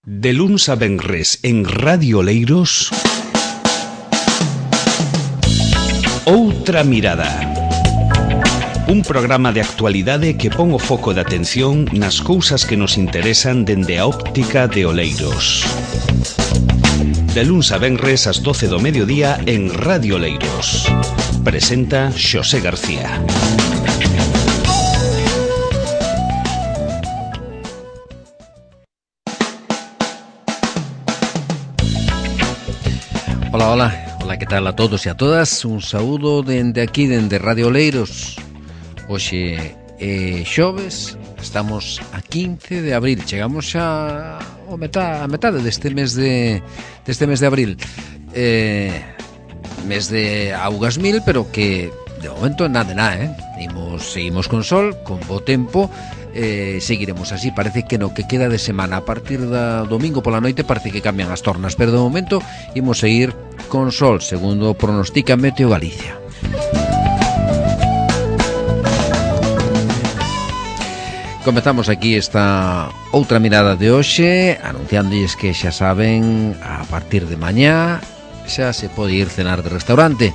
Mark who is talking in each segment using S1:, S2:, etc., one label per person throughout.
S1: De luns a venres en Radio Oleiros, Outra Mirada. Un programa de actualidade que pon o foco de atención nas cousas que nos interesan dende a óptica de Oleiros. De luns a venres ás 12 do mediodía en Radio Oleiros. Presenta Xosé García.
S2: Hola, que tal a todos e a todas? Un saúdo dende aquí, dende Radio Oleiros. Hoxe é xoves, estamos a 15 de abril. Chegamos xa a metade deste mes de abril. Mes de augas mil, pero que de momento nada, Seguimos con sol, con bo tempo. Seguiremos así, parece que no que queda de semana a partir da domingo pola noite parece que cambian as tornas, pero de momento imos seguir con sol, segundo pronostica Meteo Galicia. Comezamos aquí esta outra mirada de hoxe, anunciándoles que xa saben, a partir de mañá xa se pode ir cenar de restaurante.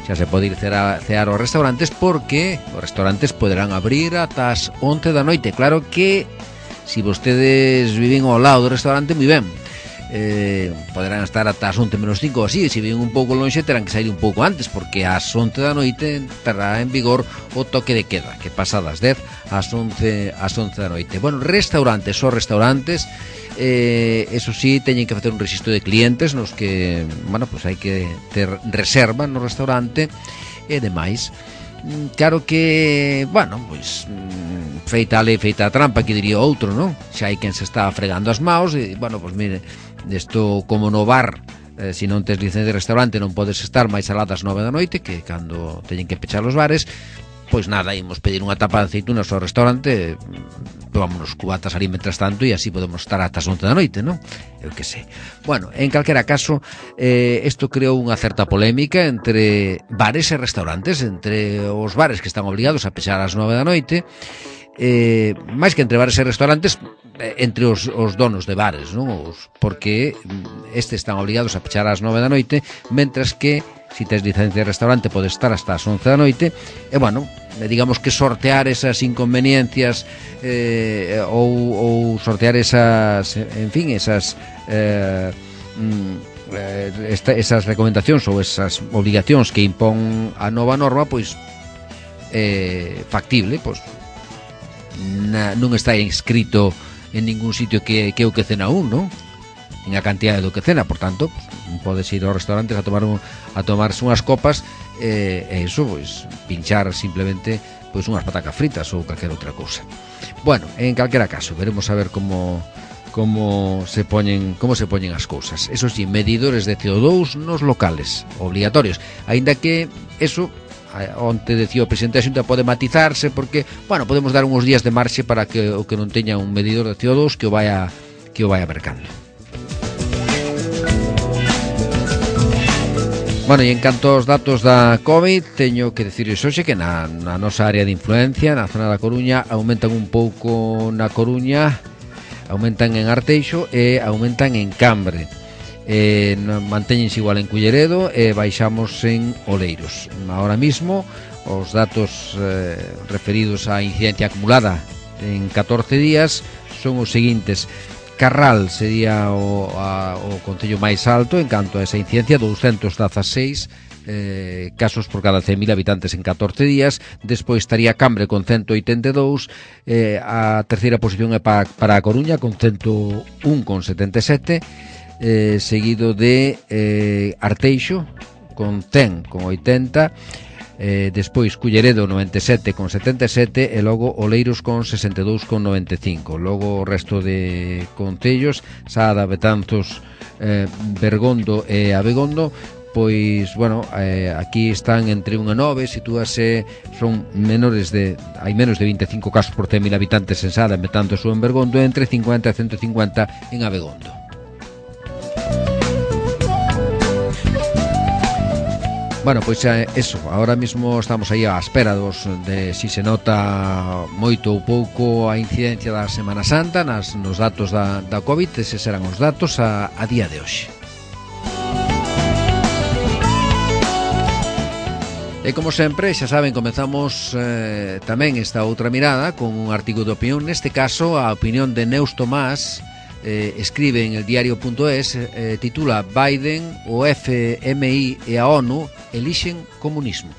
S2: Xa se pode ir cear aos restaurantes porque os restaurantes poderán abrir ata as 11 da noite. Claro que se vostedes viven ao lado do restaurante, moi ben, poderán estar ata as 11 menos 5 ou así. Se viven un pouco lonxe terán que sair un pouco antes, porque ás 11 da noite entrará en vigor o toque de queda, que pasa das 10 ás 11 da noite. Bueno, restaurantes, eso sí, teñen que facer un rexistro de clientes nos que, bueno, pues hai que ter reserva no restaurante e demais. Claro que, bueno, pues feita a lei, feita a trampa, que diría outro, non? Xa hai quen se está fregando as maus e, bueno, pues mire, desto como no bar, se non tes licencia de restaurante non podes estar máis alá das 9 da noite, que cando teñen que pechar os bares. Pois nada, imos pedir unha tapa de aceitunas ao restaurante, vámonos cubatas ali mentras tanto e así podemos estar ata as 11 da noite, non? Eu que sei. Bueno, en calquera caso, isto creou unha certa polémica entre bares e restaurantes, entre os bares que están obligados a pechar ás 9 da noite, máis que entre bares e restaurantes, entre os donos de bares, non? Porque estes están obligados a pechar ás 9 da noite, mentras que se tes licencia de restaurante podes estar hasta as 11 da noite. E bueno, digamos que sortear esas inconveniencias ou sortear esas, en fin, esas esas recomendacións ou esas obligacións que impón a nova norma, pois factible, pois non está inscrito en ningún sitio que o que cena un, non? En a cantidade do que cena, por tanto, podes ir aos restaurantes a tomarse unhas copas e iso, pois, pinchar simplemente pois unhas patacas fritas ou calquera outra cousa. Bueno, en calquera caso, veremos a ver como se poñen as cousas. Eso sí, medidores de CO2 nos locales, obligatorios, aínda que eso onte decía o presidente da Xunta pode matizarse porque, bueno, podemos dar uns días de marxe para que o que non teña un medidor de CO2 que o vaya mercando. Bueno, e en canto aos datos da COVID, teño que dicirles hoxe que na nosa área de influencia, na zona da Coruña, aumentan un pouco na Coruña, aumentan en Arteixo e aumentan en Cambre. Mantéñense igual en Culleredo e baixamos en Oleiros. Ahora mismo, os datos referidos á incidencia acumulada en 14 días son os seguintes. Carral sería o concello máis alto en canto a esa incidencia, 216 casos por cada 100.000 habitantes en 14 días. Despois estaría Cambre con 182, a terceira posición é para a Coruña con 101 con 77, seguido de Arteixo con 100 con 80, despois Culleredo 97 con 77 e logo Oleiros con 62 con 95. Logo o resto de concellos, Sada, Betanzos, Bergondo e Abegondo, pois, bueno, aquí están entre 1 e 9, sitúase, son hai menos de 25 casos por 100.000 habitantes en Sada, en Betanzos ou en Bergondo, entre 50 e 150 en Abegondo. Bueno, pois eso, ahora mismo estamos aí á espera de si se nota moito ou pouco a incidencia da Semana Santa nos datos da COVID. Eses serán os datos a día de hoxe. E como sempre, xa saben, comezamos tamén esta outra mirada con un artigo de opinión. Neste caso, a opinión de Neus Tomás, escribe en el diario.es, titula Biden, o FMI e a ONU elixen comunismo.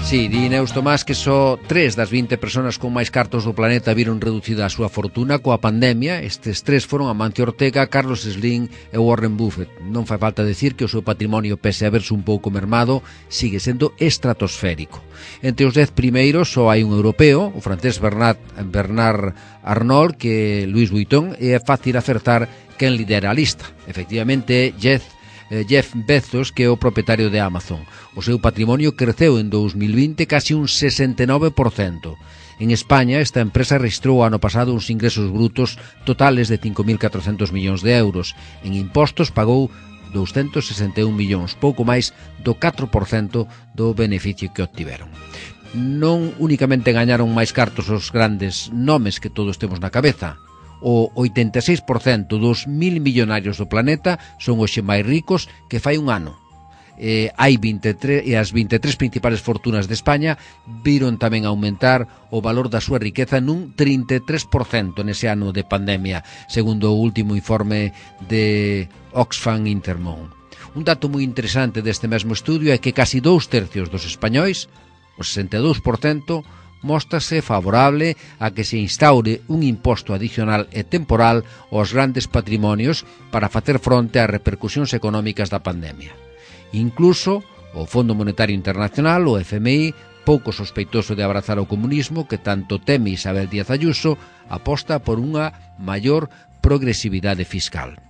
S2: Sí, di Neus Tomás que só 3 das 20 personas con máis cartos do planeta viron reducida a súa fortuna coa pandemia. Estes 3 foron Amancio Ortega, Carlos Slim e Warren Buffett. Non fai falta decir que o seu patrimonio, pese a verse un pouco mermado, sigue sendo estratosférico. Entre os 10 primeiros só hai un europeo, o francés Bernard Arnault, que Louis Vuitton, e é fácil acertar quen lidera a lista. Efectivamente, Jeff Bezos, que é o propietario de Amazon. O seu patrimonio creceu en 2020 casi un 69%. En España, esta empresa registrou ano pasado uns ingresos brutos totales de 5.400 millóns de euros. En impostos pagou 261 millóns, pouco máis do 4% do beneficio que obtiveron. Non únicamente gañaron máis cartos os grandes nomes que todos temos na cabeza. O 86% dos 1.000 millonarios do planeta son hoxe máis ricos que fai un ano. Hai 23 e as 23 principales fortunas de España viron tamén aumentar o valor da súa riqueza nun 33% nese ano de pandemia, segundo o último informe de Oxfam Intermón. Un dato moi interesante deste mesmo estudio é que casi 2/3 dos españois, o 62%, móstrase favorable a que se instaure un imposto adicional e temporal aos grandes patrimonios para facer fronte ás repercusións económicas da pandemia. Incluso o Fondo Monetario Internacional, o FMI, pouco sospeitoso de abrazar o comunismo que tanto teme Isabel Díaz Ayuso, aposta por unha maior progresividade fiscal.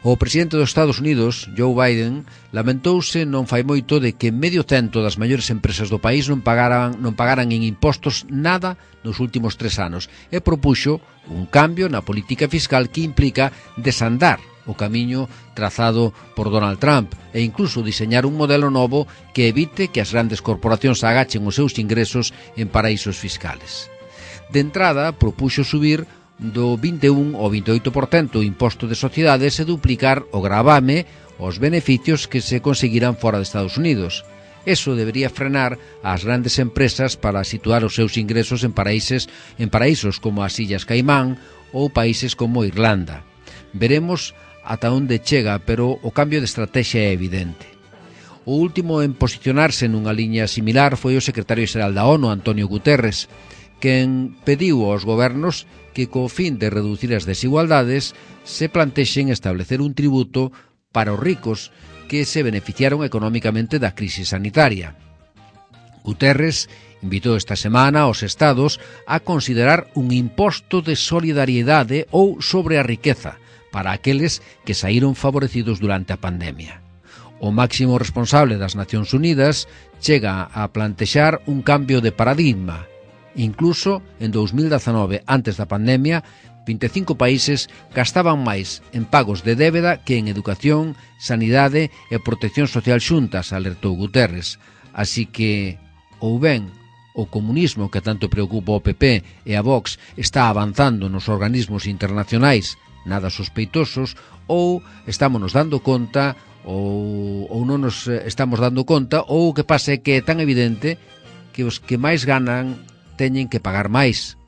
S2: O presidente dos Estados Unidos, Joe Biden, lamentouse non fai moito de que 1/100 das maiores empresas do país non pagaran en impostos nada nos últimos 3 anos e propuxo un cambio na política fiscal que implica desandar o camiño trazado por Donald Trump e incluso diseñar un modelo novo que evite que as grandes corporacións agachen os seus ingresos en paraísos fiscales. De entrada, propuxo subir do 21 ao 28% o imposto de sociedades e duplicar o gravame aos beneficios que se conseguirán fora de Estados Unidos. Eso debería frenar as grandes empresas para situar os seus ingresos en paraísos como as Illas Caimán ou países como Irlanda. Veremos ata onde chega, pero o cambio de estrategia é evidente. O último en posicionarse nunha liña similar foi o secretario xeral da ONU, Antonio Guterres, quen pediu aos gobernos que, co fin de reducir as desigualdades, se plantexen establecer un tributo para os ricos que se beneficiaron económicamente da crise sanitaria. Guterres invitou esta semana aos estados a considerar un imposto de solidariedade ou sobre a riqueza para aqueles que saíron favorecidos durante a pandemia. O máximo responsable das Nacións Unidas chega a plantexar un cambio de paradigma. Incluso en 2019, antes da pandemia, 25 países gastaban máis en pagos de débeda que en educación, sanidade e protección social xuntas, alertou Guterres. Así que, ou ben, o comunismo que tanto preocupa o PP e a Vox está avanzando nos organismos internacionais nada sospeitosos, ou estámonos dando conta ou non nos estamos dando conta, ou o que pasa é que é tan evidente que os que máis ganan teñen que pagar máis,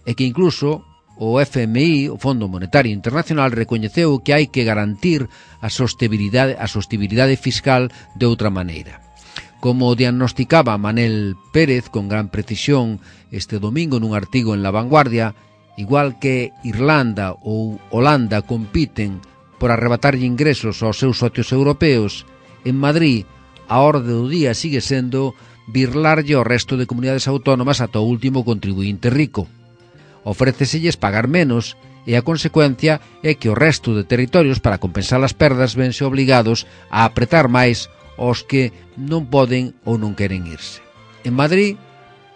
S2: e que incluso o FMI, o Fondo Monetario Internacional, recoñeceu que hai que garantir a sostibilidade fiscal de outra maneira. Como diagnosticaba Manel Pérez con gran precisión este domingo nun artigo en La Vanguardia, igual que Irlanda ou Holanda compiten por arrebatarlle ingresos aos seus socios europeos, en Madrid a orde do día sigue sendo birlarlle ao resto de comunidades autónomas ata o último contribuinte rico. Ofréceselles pagar menos e a consecuencia é que o resto de territorios, para compensar as perdas, vense obligados a apretar máis aos que non poden ou non queren irse. En Madrid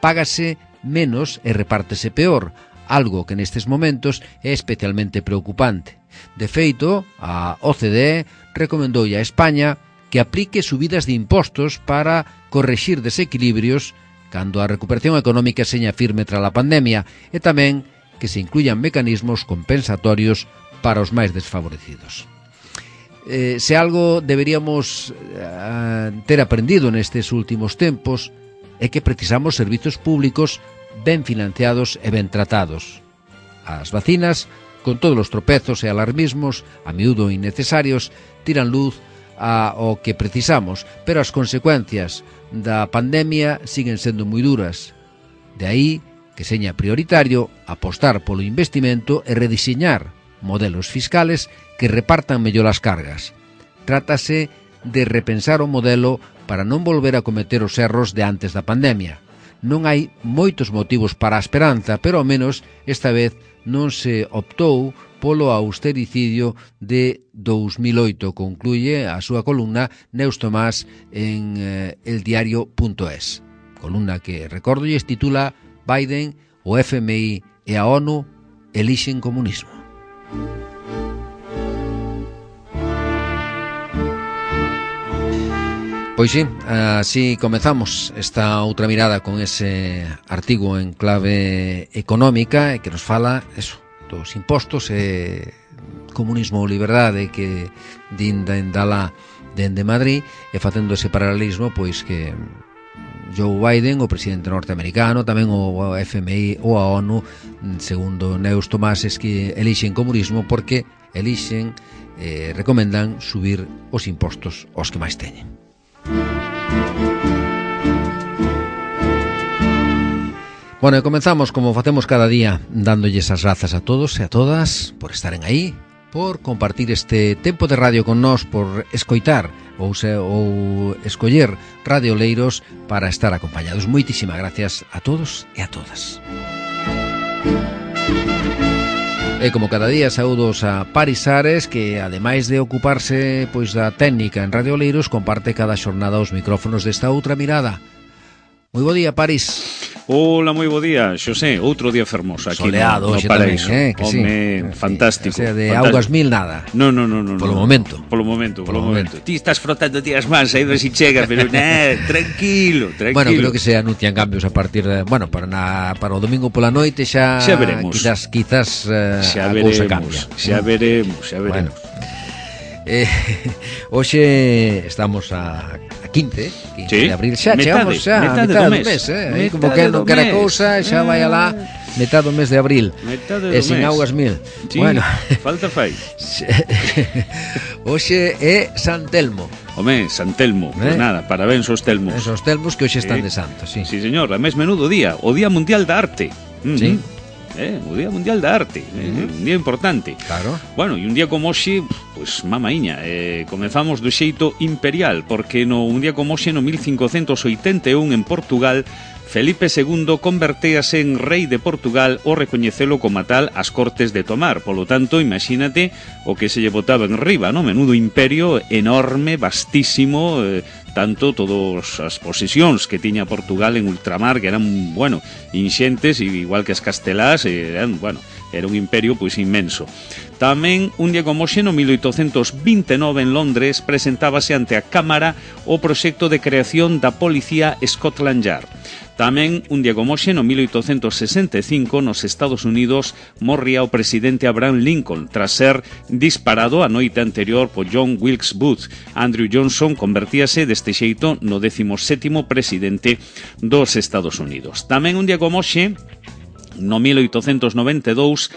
S2: págase menos e repártese peor. algo que nestes momentos é especialmente preocupante. De feito, a OCDE recomendoulle a España que aplique subidas de impostos para correxir desequilibrios cando a recuperación económica seña firme tras a pandemia e tamén que se incluyan mecanismos compensatorios para os máis desfavorecidos. Se algo deberíamos ter aprendido nestes últimos tempos é que precisamos servizos públicos ben financiados e ben tratados. As vacinas, con todos os tropezos e alarmismos, a miúdo innecesarios, tiran luz ao que precisamos, pero as consecuencias da pandemia siguen sendo moi duras. De aí que seña prioritario apostar polo investimento e rediseñar modelos fiscales que repartan mellor as cargas. Trátase de repensar o modelo para non volver a cometer os erros de antes da pandemia. Non hai moitos motivos para a esperanza, pero ao menos esta vez non se optou polo austericidio de 2008, concluye a súa columna Neus Tomás en eldiario.es. Columna que, recordolles, titula Biden, o FMI e a ONU elixen comunismo. Pois sí, así comezamos esta outra mirada con ese artigo en clave económica que nos fala eso, dos impostos e comunismo ou liberdade que din dala dende Madrid e facendo ese paralelismo pois que Joe Biden, o presidente norteamericano, tamén o FMI ou a ONU, segundo Neus Tomás, es que elixen comunismo porque elixen, recomendan subir os impostos aos que máis teñen. Bueno, e comenzamos como facemos cada día dándolles as grazas a todos e a todas por estaren aí, por compartir este tempo de radio con nós, por escoitar ou escoller Radio Oleiros para estar acompañados. Moitísimas gracias a todos e a todas. E como cada día saúdos a Paris Ares, que ademais de ocuparse pois da técnica en Radio Oleiros, comparte cada xornada os micrófonos desta outra mirada. Moi bo día, Paris.
S1: Hola, moi bo día, Xosé, outro día fermoso aquí
S2: soleado,
S1: no Paraíso.
S2: Tamén, que
S1: Home,
S2: sí.
S1: Fantástico.
S2: O sea, de
S1: fantástico.
S2: augas mil nada.
S1: No.
S2: Polo momento.
S1: Polo momento. Ti estás frotando as mans aí ver si chega, pero tranquilo.
S2: Bueno, creo que se anuncian cambios a partir de, bueno, para o domingo pola noite xa
S1: veremos.
S2: Quizás a cousa cambia.
S1: Xa veremos.
S2: Bueno. Hoxe estamos a 15
S1: sí,
S2: de abril, xa chegamos a metade do mes, aí como que non quera cousa, xa vai alá metade do mes de abril. E sin augas mil.
S1: Sí, bueno, falta fai.
S2: Hoxe é San Telmo.
S1: Home, San Telmo, pues nada, parabéns aos Telmos.
S2: Esos Telmos que hoxe están de santo, sí.
S1: Sí, señor, a mes menudo día, o Día Mundial da Arte.
S2: Sí.
S1: O Día Mundial da Arte, un día importante.
S2: Claro.
S1: Bueno, e un día como hoxe, pues mamaíña, comezamos do xeito imperial, porque un día como hoxe, no 1581, en Portugal, Felipe II convertéase en rei de Portugal ao recoñecelo como tal as Cortes de Tomar. Polo tanto, imagínate o que se lle botaba en riba, no? Menudo imperio enorme, vastísimo, tanto todas as posesións que tiña Portugal en ultramar, que eran, bueno, inxentes, igual que as castelás, eran, bueno, era un imperio pois inmenso. Tamén, un día como hoxe, no 1829 en Londres, presentábase ante a Cámara o proxecto de creación da Policía Scotland Yard. Tamén, un día como hoxe, no 1865, nos Estados Unidos, morría o presidente Abraham Lincoln tras ser disparado a noite anterior por John Wilkes Booth. Andrew Johnson convertíase deste xeito no 17º presidente dos Estados Unidos. Tamén, un día como hoxe, no 1892,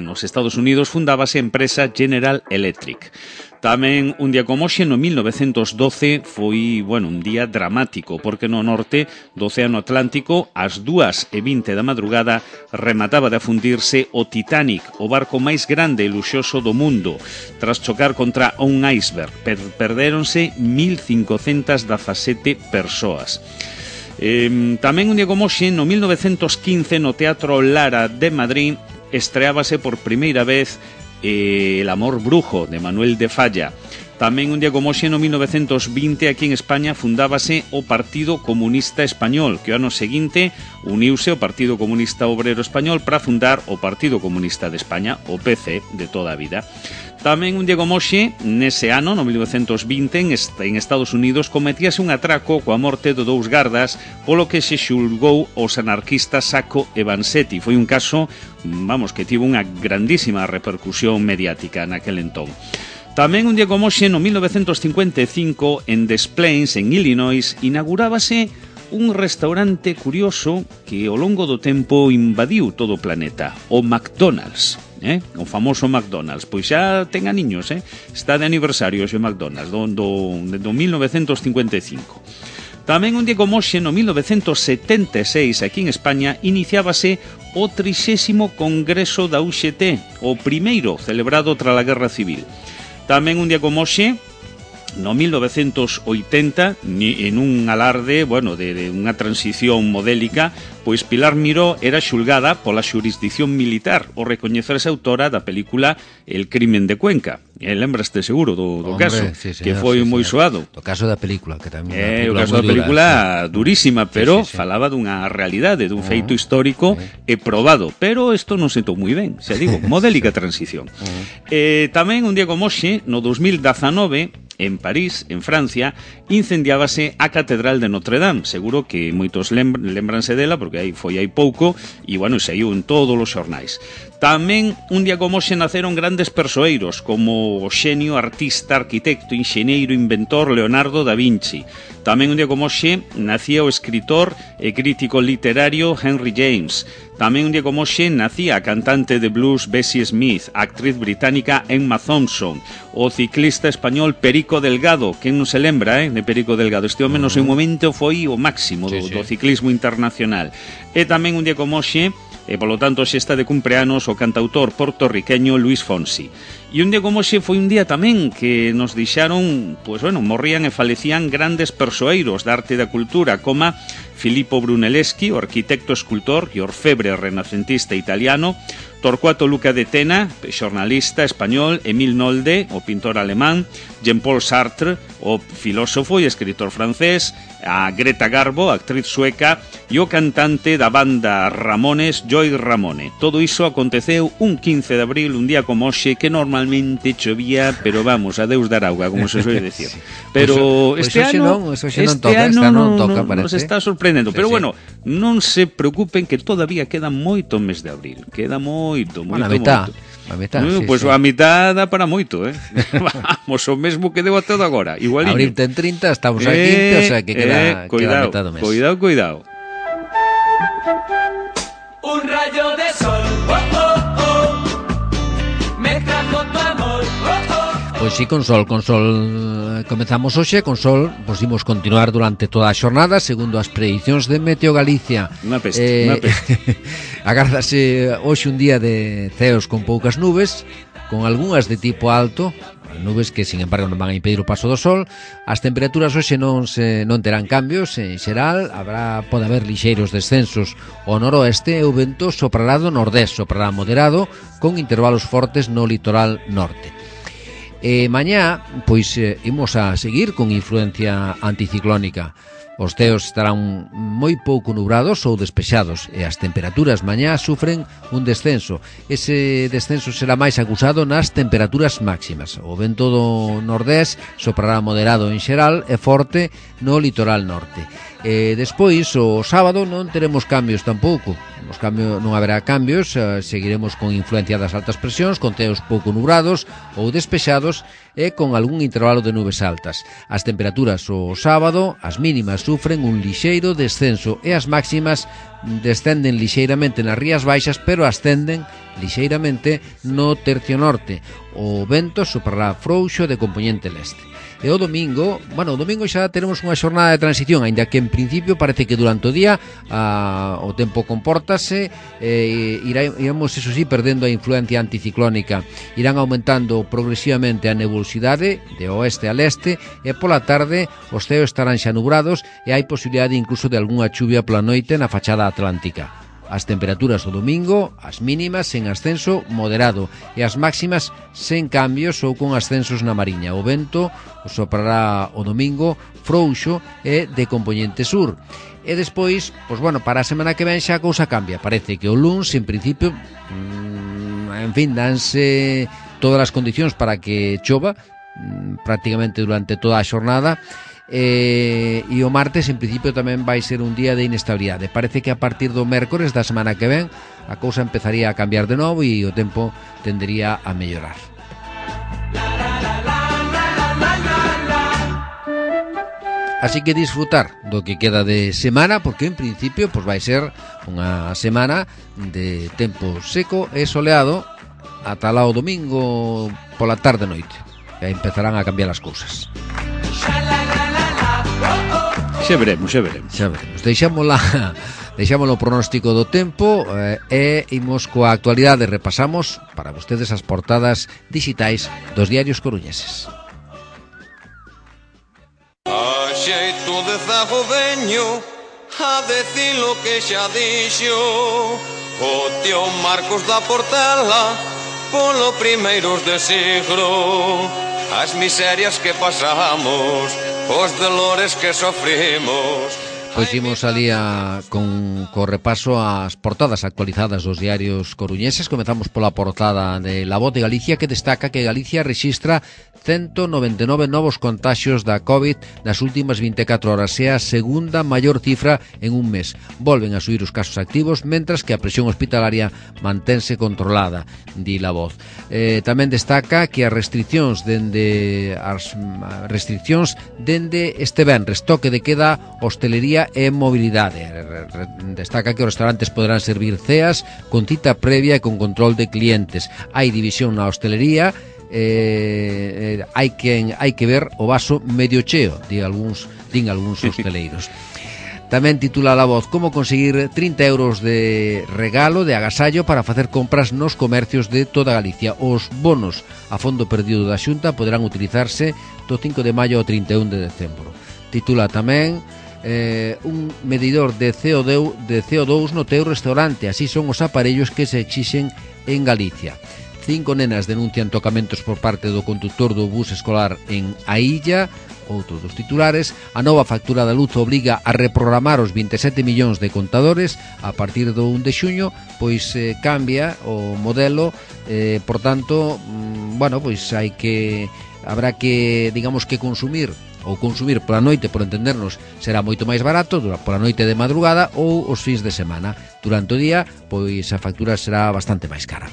S1: nos Estados Unidos, fundábase a empresa General Electric. Tamén, un día como hoxe, no 1912, foi, un día dramático, porque no norte do Océano Atlántico, ás 2:20 da madrugada, remataba de afundirse o Titanic, o barco máis grande e luxoso do mundo, tras chocar contra un iceberg. Perdéronse 1.517 persoas. Tamén, un día como hoxe, no 1915, no Teatro Lara de Madrid, estreábase por primeira vez El amor brujo, de Manuel de Falla. Tamén un día como hoxe, no 1920, aquí en España fundábase o Partido Comunista Español, que o ano seguinte uniuse o Partido Comunista Obrero Español para fundar o Partido Comunista de España, o PC, de toda a vida. Tamén un día como hoxe, nese ano, no 1920, en Estados Unidos, cometíase un atraco coa morte de 2 gardas, polo que se xulgou os anarquistas Sacco e Vanzetti. Foi un caso, que tivo unha grandísima repercusión mediática naquel entón. Tamén un día como hoxe, no 1955, en Des Plaines, en Illinois, inaugurábase un restaurante curioso que ao longo do tempo invadiu todo o planeta, o McDonald's. O famoso McDonald's, pois xa ten aniños, está de aniversario o McDonald's do 1955. Tamén un día como hoxe, no 1976, aquí en España, iniciábase o 30º Congreso da UGT, o primeiro celebrado tras a Guerra Civil. Tamén un día como hoxe, no 1980, en un alarde, de unha transición modélica, pois Pilar Miró era xulgada pola xurisdicción militar ao recoñecerse autora da película El crimen de Cuenca. Lembraste seguro do caso, sí, señor, que foi moi soado.
S2: O caso da película, que tamén
S1: o caso da película durísima, pero falaba dunha realidade, dun feito histórico e probado, pero isto non sentou moi ben, xa digo, modélica transición. Tamén un día como hoxe, no 2019, en París, en Francia, incendiábase a Catedral de Notre Dame. Seguro que moitos lembranse dela, porque foi hai pouco, e, saiu en todos os xornais. Tamén, un día como hoxe, naceron grandes persoeiros, como o xenio, artista, arquitecto, enxeñeiro, inventor Leonardo da Vinci. Tamén, un día como hoxe, nacía o escritor e crítico literario Henry James. Tamén, un día como hoxe, nacía a cantante de blues Bessie Smith, a actriz británica Emma Thompson, o ciclista español Perico Delgado. Quen non se lembra, de Perico Delgado? Este home no seu momento foi o máximo do ciclismo internacional. E tamén, un día como hoxe, e polo tanto xe está de cumpleanos o cantautor portorriqueño Luis Fonsi. E un día como hoxe foi un día tamén que nos deixaron, morrían e falecían grandes persoeiros da arte e da cultura, como Filippo Brunelleschi, o arquitecto, escultor e orfebre renacentista italiano, Torcuato Luca de Tena, xornalista español, Emile Nolde, o pintor alemán, Jean-Paul Sartre, o filósofo e escritor francés, a Greta Garbo, actriz sueca, e o cantante da banda Ramones, Joey Ramone. Todo iso aconteceu un 15 de abril, un día como hoxe, que normalmente chovía, pero a Deus dar auga, como se suele decir. Pero este ano non toca, nos está sorprendendo. Pero non se preocupen que todavía queda moito mes de abril. Queda moito.
S2: A mitad.
S1: A mitad dá para moito, Vamos, o mesmo que deu a todo agora. Igualiño.
S2: Abril ten 30, estamos a 15, o sea que queda a mitad do mes.
S1: Cuidado.
S3: Un rayo de sol, me trajo tu amor,
S2: Pois sí, con sol comezamos hoxe, con sol, imos continuar durante toda a xornada, segundo as predicións de Meteo Galicia.
S1: Unha peste.
S2: Agárdase hoxe un día de ceos con poucas nubes, con algunhas de tipo alto, nubes que, sin embargo, non van a impedir o paso do sol. As temperaturas hoxe non terán cambios, en xeral, pode haber lixeiros descensos ao noroeste e o vento soprará do nordés, soprará moderado, con intervalos fortes no litoral norte. Mañá, imos a seguir con influencia anticiclónica. Os ceos estarán moi pouco nubrados ou despexados e as temperaturas mañá sufren un descenso. Ese descenso será máis acusado nas temperaturas máximas. O vento do nordés soprará moderado en xeral e forte no litoral norte. Despois, o sábado, non teremos cambios tampouco. Non haberá cambios, seguiremos con influencia das altas presións, con ceos pouco nubrados ou despexados e con algún intervalo de nubes altas. As temperaturas o sábado, as mínimas sufren un lixeiro descenso e as máximas descenden lixeiramente nas rías baixas, pero ascenden lixeiramente no tercio norte. O vento soprará frouxo de compoñente leste. E o domingo xa teremos unha xornada de transición, aínda que en principio parece que durante o día o tempo compórtase, iremos, eso sí, perdendo a influencia anticiclónica. Irán aumentando progresivamente a nebulosidade de oeste a leste e pola tarde os ceos estarán xa nubrados e hai posibilidade incluso de algunha chuvia pola noite na fachada atlántica. As temperaturas o domingo, as mínimas en ascenso moderado e as máximas sen cambios ou con ascensos na Mariña. O vento soprará o domingo frouxo e de compoñente sur. E despois, pois bueno, para a semana que ven xa a cousa cambia. Parece que o luns, en principio, en fin, danse todas as condicións para que chova prácticamente durante toda a xornada. E o martes en principio tamén vai ser un día de inestabilidade. Parece que a partir do mércores da semana que ven a cousa empezaría a cambiar de novo e o tempo tendería a mellorar. Así que disfrutar do que queda de semana, porque en principio pois vai ser unha semana de tempo seco e soleado ata lá o domingo pola tarde noite. E aí empezarán a cambiar as cousas.
S1: Xa veremos. Deixámolo o pronóstico do tempo e imos coa actualidade. Repasamos para vostedes as portadas digitais dos diarios coruñeses.
S4: A xeito de zagodeño, a decir lo que xa dixo o tío Marcos da Portela polo primeiros de siglo. As miserias que pasamos, os dolores que sofrimos.
S2: Pois imos alía con repaso ás portadas actualizadas dos diarios coruñeses. Comezamos pola portada de La Voz de Galicia, que destaca que Galicia rexistra 199 novos contaxios da COVID nas últimas 24 horas, é a segunda maior cifra en un mes. Volven a subir os casos activos, mentras que a presión hospitalaria mantense controlada, di La Voz. Tamén destaca que as restriccións dende este venres, toque de queda, hostelería e mobilidade. Destaca que os restaurantes poderán servir ceas con cita previa e con control de clientes. Hai división na hostelería, hai que ver o vaso medio cheo, din algúns hosteleiros. Tamén titula La Voz como conseguir 30 euros de regalo de agasallo para facer compras nos comercios de toda Galicia. Os bonos a fondo perdido da Xunta poderán utilizarse do 5 de maio ao 31 de decembro. Titula tamén un medidor de CO2 no teu restaurante. Así son os aparellos que se exixen en Galicia. 5 nenas denuncian tocamentos por parte do conductor do bus escolar en A Illa. Outro dos titulares, a nova factura da luz obriga a reprogramar os 27 millóns de contadores a partir do 1 de xuño, pois cambia o modelo, por tanto, pois habrá que, digamos que consumir pola noite, por entendernos, será moito máis barato pola noite de madrugada ou os fins de semana. Durante o día, pois a factura será bastante máis cara.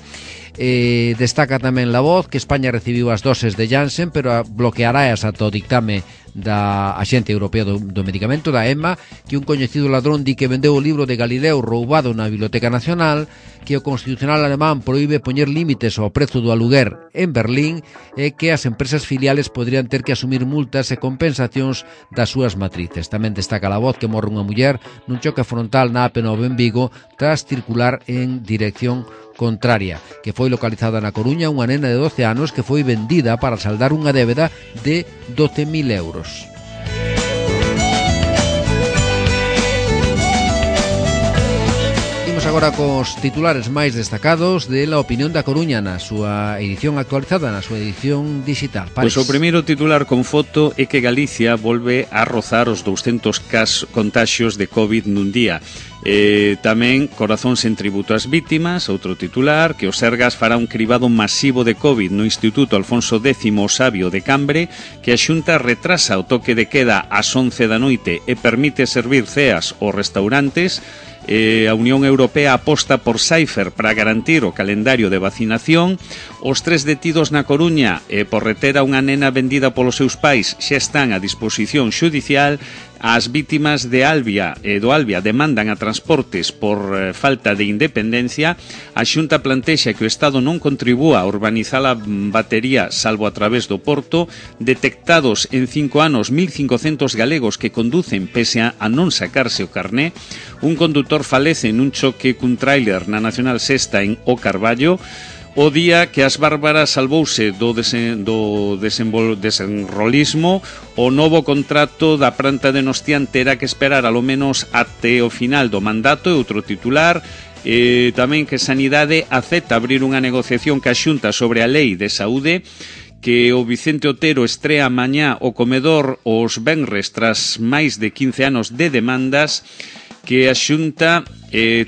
S2: Destaca tamén La Voz que España recibiu as doses de Janssen, pero bloqueará ata o dictame da Axencia Europea do Medicamento, da EMA, que un coñecido ladrón di que vendeu o libro de Galileo roubado na Biblioteca Nacional, que o Constitucional alemán proíbe poñer límites ao prezo do aluguer en Berlín e que as empresas filiales podrían ter que asumir multas e compensacións das súas matrices. Tamén destaca La Voz que morre unha muller nun choque frontal na AP9 en Vigo tras circular en dirección contraria, que foi localizada na Coruña unha nena de 12 anos que foi vendida para saldar unha débeda de 12.000 euros. Imos agora cos titulares máis destacados de La Opinión da Coruña na súa edición actualizada, na súa edición digital.
S1: Pois o primeiro titular con foto é que Galicia volve a rozar os 200 contaxios de COVID nun día. Tamén corazón sen tributo ás vítimas. Outro titular, que o Sergas fará un cribado masivo de COVID no Instituto Alfonso X o Sabio de Cambre, que a Xunta retrasa o toque de queda ás 11 da noite e permite servir ceas aos restaurantes. A Unión Europea aposta por Cypher para garantir o calendario de vacinación. Os 3 detidos na Coruña por reter a unha nena vendida polos seus pais xa están a disposición xudicial. As vítimas de do Albia demandan a Transportes por falta de independencia. A Xunta plantexa que o Estado non contribúa a urbanizar a batería salvo a través do Porto. Detectados en 5 anos 1.500 galegos que conducen pese a non sacarse o carné. Un condutor falece nun choque cun tráiler na Nacional Sexta en O Carballo.
S5: o día que as Bárbaras salvouse do desenrolismo, o novo contrato da planta de Nostián terá que esperar alo menos até o final do mandato. E outro titular, tamén que Sanidade acepta abrir unha negociación ca Xunta sobre a lei de saúde, que o Vicente Otero estrea mañá o comedor os venres tras máis de 15 anos de demandas, que a Xunta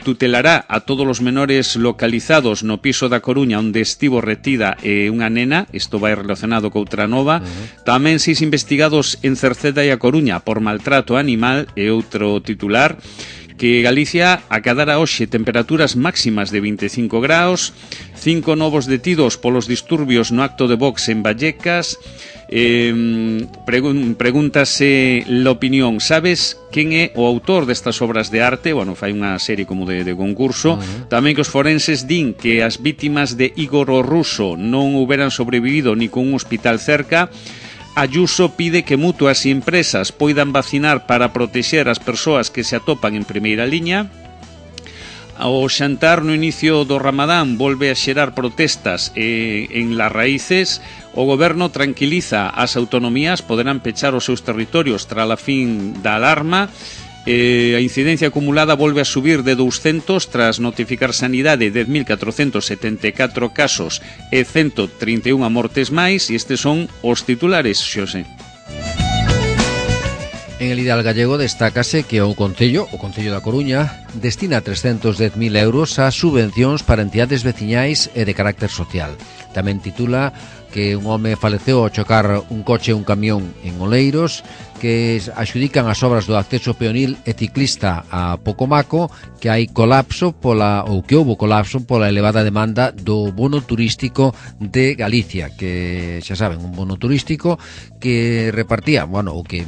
S5: tutelará a todos os menores localizados no piso da Coruña onde estivo retida unha nena. Isto vai relacionado co outra nova. Tamén 6 investigados en Cerceda e a Coruña por maltrato animal. E outro titular, que Galicia acadara hoxe temperaturas máximas de 25 graus, 5 novos detidos polos disturbios no acto de Vox en Vallecas. Pregúntase l'opinión, sabes quen é o autor destas obras de arte? Bueno, fai unha serie como de concurso. Tamén que os forenses din que as vítimas de Igor o Ruso non houberan sobrevivido ni con un hospital cerca. Ayuso pide que mutuas e empresas poidan vacinar para protexer as persoas que se atopan en primeira liña. O xantar no inicio do Ramadán volve a xerar protestas en Las Raíces. O goberno tranquiliza as autonomías, poderán pechar os seus territorios tras a fin da alarma. A incidencia acumulada volve a subir de 200 tras notificar Sanidade 10.474 casos e 131 mortes máis. E estes son os titulares, Xosé.
S2: En el ideal gallego destácase que o Concello da Coruña, destina 310.000 euros a subvencións para entidades veciñais e de carácter social. Tamén titula que un home faleceu ao chocar un coche e un camión en Oleiros, que axudican as obras do acceso peonil e ciclista a Pocomaco, que hai colapso que houbo colapso pola elevada demanda do bono turístico de Galicia, que xa saben, un bono turístico que repartía, bueno, o que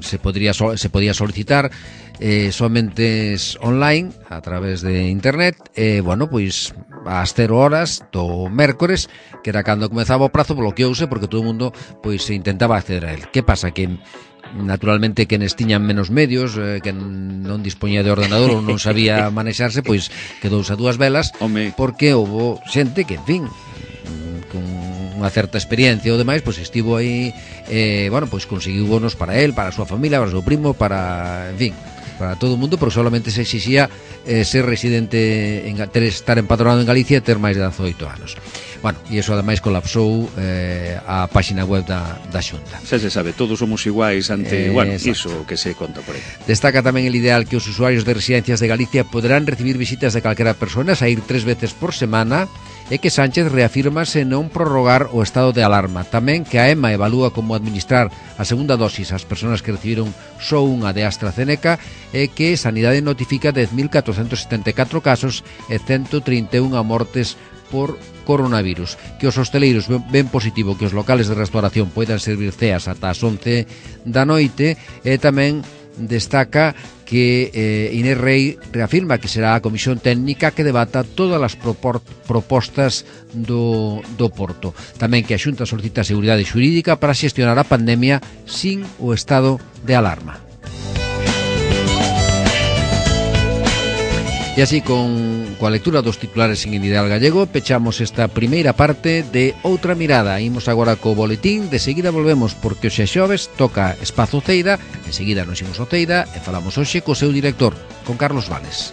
S2: se podía solicitar somente online a través de internet. Bueno, pois ás 0 horas do mércores, que era cando comezaba o prazo, bloqueouse porque todo o mundo pois intentaba acceder a él. Que pasa? Que naturalmente quenes tiñan menos medios, que non dispoñía de ordenador ou non sabía manexarse, pois quedouse a dúas velas. Porque houbo xente que, en fin, con unha certa experiencia ou demais, pois estivo aí, bueno, pois conseguiu bonos para él, para a súa familia, para o seu primo, para, en fin, para todo o mundo, porque solamente se exixía ser residente, estar empadronado en Galicia e ter máis de 18 anos. Bueno, e iso ademais colapsou a páxina web da Xunta.
S5: Xa se sabe, todos somos iguais ante, bueno, iso que se conta por aí.
S2: Destaca tamén el ideal que os usuarios de residencias de Galicia poderán recibir visitas de calquera persona, saír 3 veces por semana, e que Sánchez reafírmase non prorrogar o estado de alarma. Tamén que a EMA evalúa como administrar a segunda dosis ás persoas que recibiron só unha de AstraZeneca, e que Sanidade notifica 10.474 casos e 131 mortes por coronavirus. Que os hosteleiros ven positivo que os locales de restauración poidan servir ceas ata as 11 da noite. E tamén destaca que Inés Rei reafirma que será a comisión técnica que debata todas as propostas do Porto. Tamén que a Xunta solicita seguridade xurídica para xestionar a pandemia sin o estado de alarma. E así, coa lectura dos titulares en ideal gallego, pechamos esta primeira parte de Outra Mirada. Imos agora co boletín, de seguida volvemos, porque hoxe xoves toca Espazo Ceida, en seguida nos imos ao Ceida e falamos hoxe co seu director, con Carlos Vales.